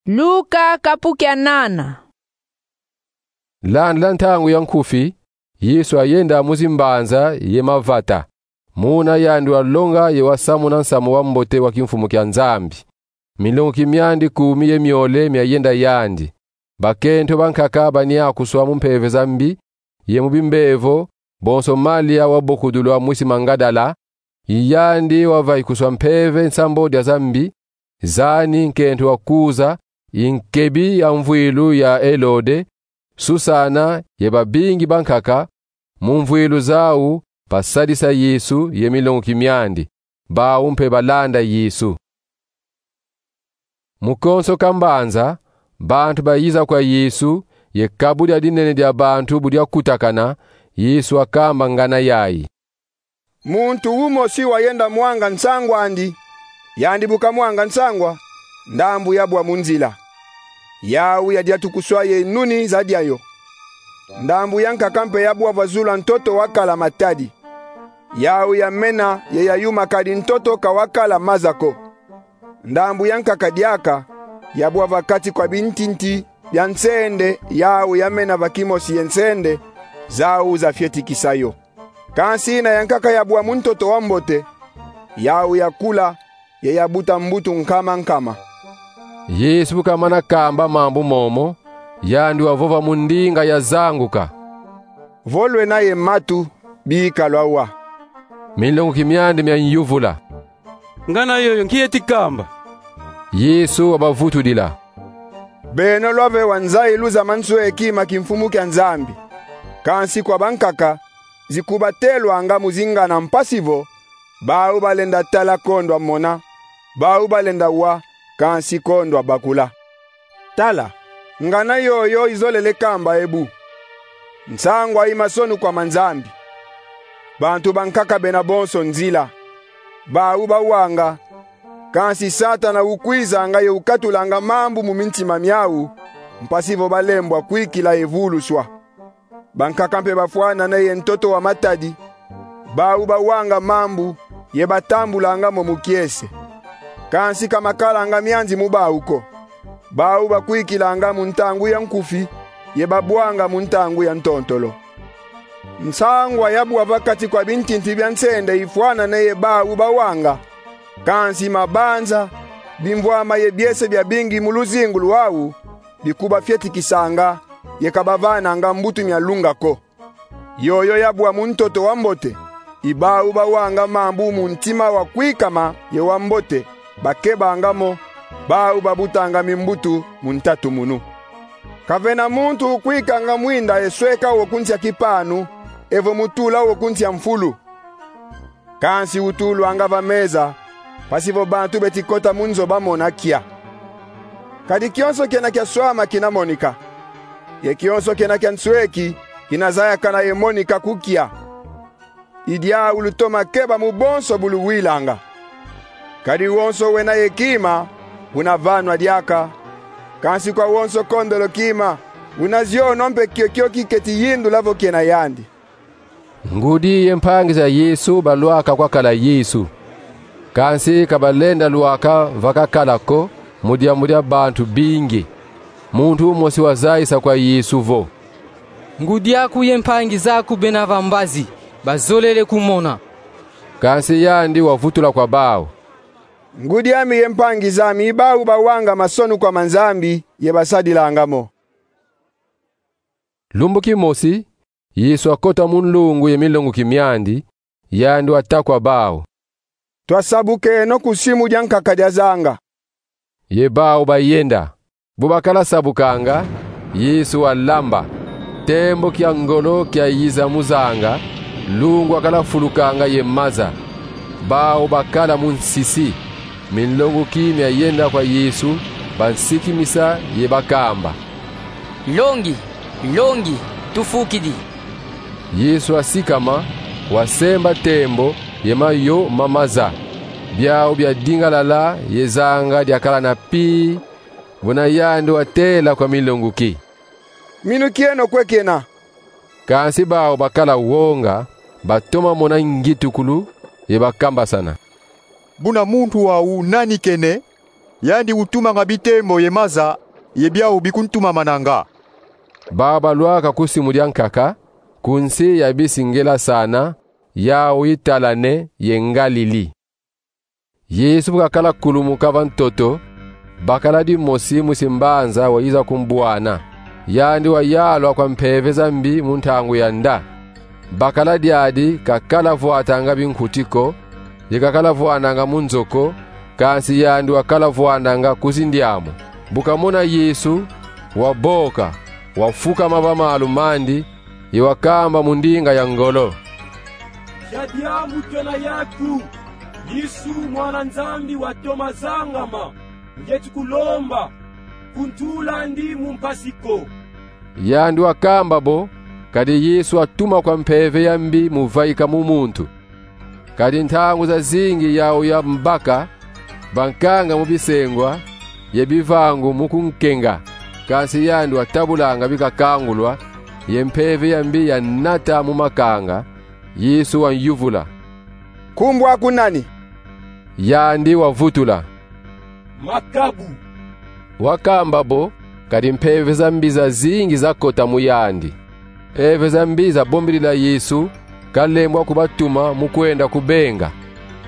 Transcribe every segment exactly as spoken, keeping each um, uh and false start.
Luka kapu kia nana. Landila ntangu ya nkufi, Yesu ayenda mu zimbanza ye mavata. Muna yandi walonga ye wasamuna nsamu wa mbote wa kimfumu kia Nzambi. Milonguki miandi kumi ye miole miayenda yandi. Bakento bankaka baniakuswa mu mpeve za mbi ye mu bimbevo, bonso Malia wa bokudulu a mwisi Mangadala, i yandi wavayikuswa mpeve nsambwadi za mbi, zani nkento wa Kuza, i nkebi ya mvwilu ya Elode, Susana ye babingi bankaka, mu mvwilu zau, basadisa Yesu ye milonguki miandi, bau mpe balanda Yesu. Mu konso ka mbanza, bantu bayiza kwa Yesu, ye kabu dia dinene dia bantu bu diakutakana, Yesu akamba ngana yai: Muntu umosi wayenda mwanga nsangw'andi. Yandi bu kamwanga nsangwa, ndambu yabwa mu nzila. Yau yadiatukuswa ye nuni za diayo. Ndambu yankaka mpe yabwa va zulu a ntoto wakala matadi. Yau yamena ye yayuma kadi ntoto ka wakala maza ko. Ndambu yankaka diaka yabwa va kati kwa bintinti bia nsende, yau yamena va kimosi ye nsende, zau zafietikisa yo. Kansi yina yankaka yabwa mu ntoto wa mbote, yau yakula, ye yabuta mbutu nkama nkama. Yesu bu kamana kamba mambu momo, yandi wavova mu ndinga yazanguka: Vo lwena ye matu, bika lwawa. Milonguki miandi mianyuvula: Ngana yoyo, nki yeti kamba? Yesu wabavutudila: Beno lwaveva nzayilu za mansweki ma kimfumu kia Nzambi. Kansi kwa bankaka, zikubatelwanga mu zingana, mpasi vo: bau balenda tala kondwa mona, bau balenda wa, kansi kondwa bakula. Tala, ngana yoyo izolele kamba ebu: Nsangwa i masonukwa ma Nzambi. Bantu bankaka bena bonso nzila, bau bawanga, kansi Satana ukwizanga ye ukatulanga mambu mu mintima miau, mpasi vo balembwa kwikila ye vuluswa. Bankaka mpe bafwanane ye ntoto wa matadi, bau bawanga mambu ye batambulanga mo mu kiese. Kansi ka makalanga mianzi mu bau ko. Bau bakwikilanga mu ntangu ya nkufi, ye babwanga mu ntangu ya ntontolo. Nsangwa yabwa va kati kwa bintinti bia nsende ifwanane ye bau bawanga, kansi mabanza, bimvwama ye biese biabingi mu luzingu lwau bikubafietikisanga, ye ka bavananga mbutu mia lunga ko. Yoyo yabwa mu ntoto wa mbote, i bau bawanga mambu mu ntima wa kwikama ye wa mbote, bakebanga mo, bau babutanga mimbutu mu ntatumunu. Kavena muntu ukwikanga mwinda ye sweka wo ku nsi a kipanu, evo mu tula wo ku nsi a mfulu. Kansi utulwanga va meza, mpasi vo bantu beti kota mu nzo bamona kia. Kadi kionso kena kia swama kina monika, ye kionso kena kia nsweki kina zayakana ye monika ku kia. I diau lutoma keba mu bonso bu luwilanga. Kadi wonso wena ye kima, una vanwa diaka, kansi kwa wonso kondolo kima, una zionwa mpe kiokio kiketi yindula vo kiena yandi. Ngudi ye mpangi za Yesu balwaka kwakala Yesu. Kansi ka balenda lwaka va kakala ko, mu diambu dia bantu bingi. Muntu umosi wazayisa kwa Yesu vo: Ngudi aku ye mpangi zaku bena va mbazi, bazolele kumona. Kansi yandi wavutula kwa bau: Ngudi ami ye mpangi zami i bau bawanga masonukwa ma Nzambi ye basadilanga mo. Lumbu kimosi, Yesu akota mu nlungu ye milonguki miandi, yandi wata kwa bau: Twasabukeno ku simu diankaka diazanga. Ye bau bayenda. Bu bakala sabukanga, Yesu walamba. Tembo kia ngolo kiayiza mu zanga, lungu akala fulukanga ye maza. Bau bakala mu nsisi. Milonguki miayenda kwa Yesu, bansikimisa ye bakamba: Nlongi, Nlongi, tufukidi. Yesu asikama, wasemba tembo ye mayo ma maza. Biau biadingalala ye zanga diakala na pii, buna yandi watela kwa milonguki: Minukieno kwe kiena. Kansi bau bakala wonga, batoma mona ngitukulu, ye bakambasana: Buna muntu wau nani kene? Yandi utumanga bitembo ye maza, ye biau bikuntumamananga. Bau balwaka ku simu dia nkaka, ku nsi ya bisi Ngelasana, yau italane ye Ngalili. Yesu bu kakala kulumuka va ntoto, bakala dimosi mwisi mbanza wayiza kumbwana. Yandi wayalwa kwa mpeve za mbi mu ntangu ya nda. Bakala diadi kakala vwatanga binkuti ko, ye kakala vwananga mu nzo ko, kansi yandi wakala vwananga ku zindiamu. Bu kamona Yesu, waboka, wafukama va malu mandi, ye wakamba mu ndinga ya ngolo: Nkia diambu twena yaku, Yesu, mwana Nzambi wa toma zangama? Ngieti kulomba, kuntulandi mu mpasi ko. Yandi wakamba bo, kadi Yesu watuma kwa mpeve ya mbi muvaika mu muntu. Kadi ntangu zazingi yau yambaka, bankanga mu bisengwa, ye bivangu mu kunkenga. Kansi yandi watabulanga bi kakangulwa, ye mpeve ya mbi yanata mu makanga. Yesu wayuvula: Nkumbu aku nani? Yandi wavutula: Makabu. Wakamba bo, kadi mpeve za mbi zazingi zakota mu yandi. Mpeve za mbi zabombidila Yesu, kalembwa kubatuma mu kwenda kubenga.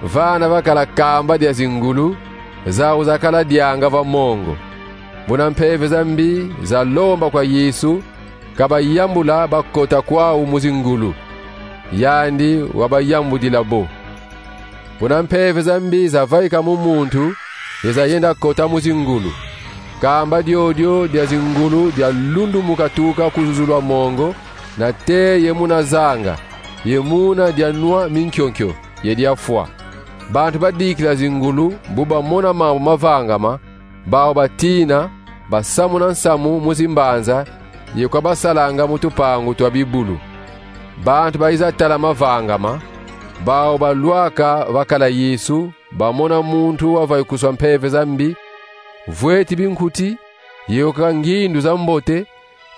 Vana vakala kamba dia zingulu, zau zakala dianga va mongo. Buna mpeve za mbi zalomba kwa Yesu, kabayambula bakota kwau mu zingulu. Yandi wabayambudila bo. Buna mpeve za mbi zavaika mu muntu, ye zayenda kota mu zingulu, kamba diodio dia zingulu dialundumuka tuka ku zuzu lwa mongo, nate ye muna zanga, ye muna dianwa minkio-nkio, ye diafwa. Bantu badikila zingulu, bu bamona mambu mavangama, bau batina, basamuna nsamu mu zimbanza, ye kwa basalanga mu tupangu twa bibulu. Bantu bayiza tala mavangama, bau balwaka vakala Yesu, bamona muntu wavaikuswa mpeve za mbi, vweti binkuti, ye yoka ngindu za mbote,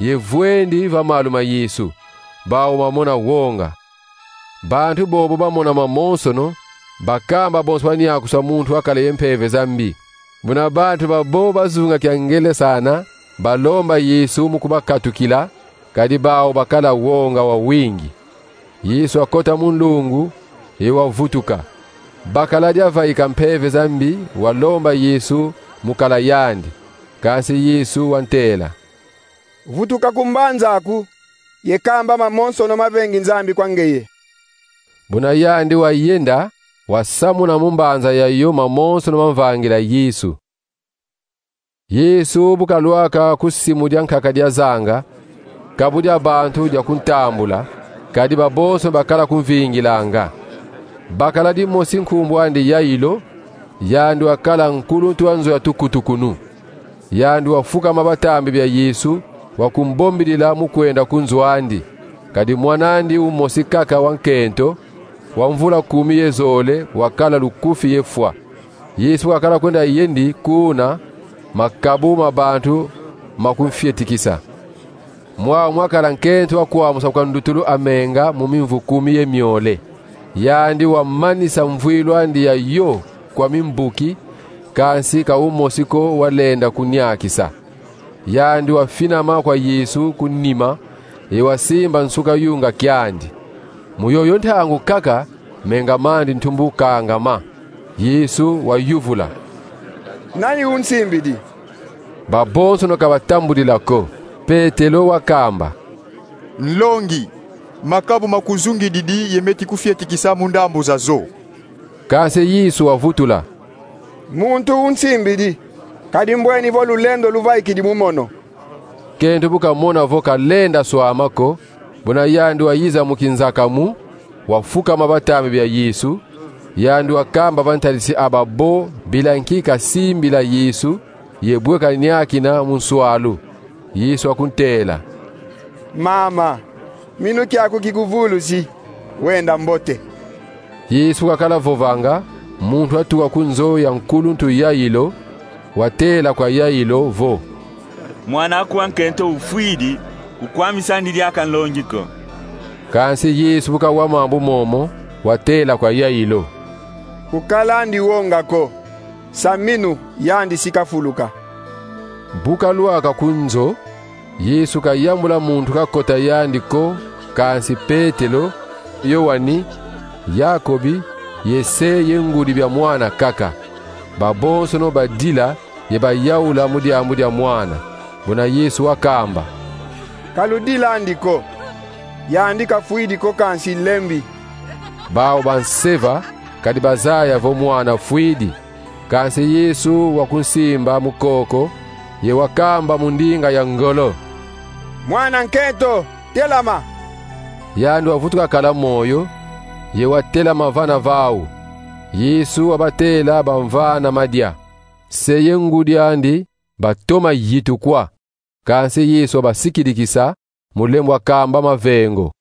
ye vwendi va malu ma Yesu, bau bamona wonga. Bantu bobo bamona mamonsono, bakamba bonso baniakuswa muntu wakala ye mpeve za mbi. Buna bantu babo bazunga kia Ngelasana, balomba Yesu mu kubakatukila, kadi bau bakala wonga wawingi. Yesu wakota mu nlungu, ye wavutuka. Bakala diavaika mpeve za mbi, walomba Yesu mu kala yandi. Kansi Yesu wantela: Vutuka ku mbanza aku, ye kamba mamonsono mavengi Nzambi kwa ngeye. Buna yandi wayenda, wasamuna mu mbanza yayo mamonsono mamvangila Yesu. Yesu bu kalwaka ku simu dia nkaka dia zanga, kabu dia bantu dia kuntambula, kadi babonso bakala kumvingilanga. Bakala dimosi nkumbu andi Yailo, yandi wakala nkuluntu wa nzo ya tukutukunu. Yandi wafukama va tambi bia Yesu, wakumbombidila mu kwenda ku nzo andi. Kadi mwan'andi umosi kaka wa nkento, wa mvula kumi ye zole, wakala lukufi ye fwa. Yesu wakala kwenda yendi kuna, makabu ma bantu makumfietikisa. Mwau mwakala nkento wa kwamusa kwa ndutulu amenga mu mimvu kumi ye miole. Yandi wamanisa mvwilu andi yayo kwa mimbuki, kansi ka umosi ko walenda kuniakisa. Yandi wafinama kwa Yesu ku nima, ye wasimba nsuka yunga kiandi. Mu yoyo ntangu kaka, menga mandi ntumbu kangama. Yesu wayuvula: Nani unsimbidi? Babonsono ka batambudila ko. Petelo wakamba: Nlongi, makabu makuzungididi ye meti kufietikisa mu ndambu zazo. Kansi Yesu wavutula: Muntu unsimbidi, kadi mbweni vo lulendo luvaikidi mu mono. Nkento bu kamona vo kalenda swama ko, buna yandi wayiza mu kinzakamu, wafukama va tambi bia Yesu, yandi wakamba va ntadisi a babo bila nki kasimbila Yesu, ye bwe kaniakina mu nswalu. Yesu wakuntela: Mama, minu kiaku kikuvulusi, wenda mbote. Yesu bu kakala vovanga, muntu watuka ku nzo ya nkuluntu Yailo, watela kwa Yailo vo: Mwan'aku wa nkento ufwidi, kukwamisandi diaka nlongi ko. Kansi Yesu bu kawa mambu momo, watela kwa Yailo: Kukalandi wonga ko, Saminu, yandi si kafuluka. Bu kalwaka ku nzo, Yesu kayambula muntu kakota yandi ko, kansi Petelo, Yoani, Yakobi, ye se ye ngudi bya mwana kaka. Babonsono badila ye bayaula mu diambu dya mwana. Buna Yesu wakamba: Kaludilandi ko. Yandi kafwidi ko, kansi lembi. Bawu banseva kadi bazaya vo mwana fwidi. Kansi Yesu wakunsimba mu koko, ye wakamba mu ndinga ya ngolo: Mwana nkento, telama! Yandi wavutuka kala moyo, ye watelama vana vawu. Yesu wabatela bamvana madya. Se ye ngudi andi batoma yitukwa. Kansi Yesu wabasikidikisa mu lembo wakamba mavengo.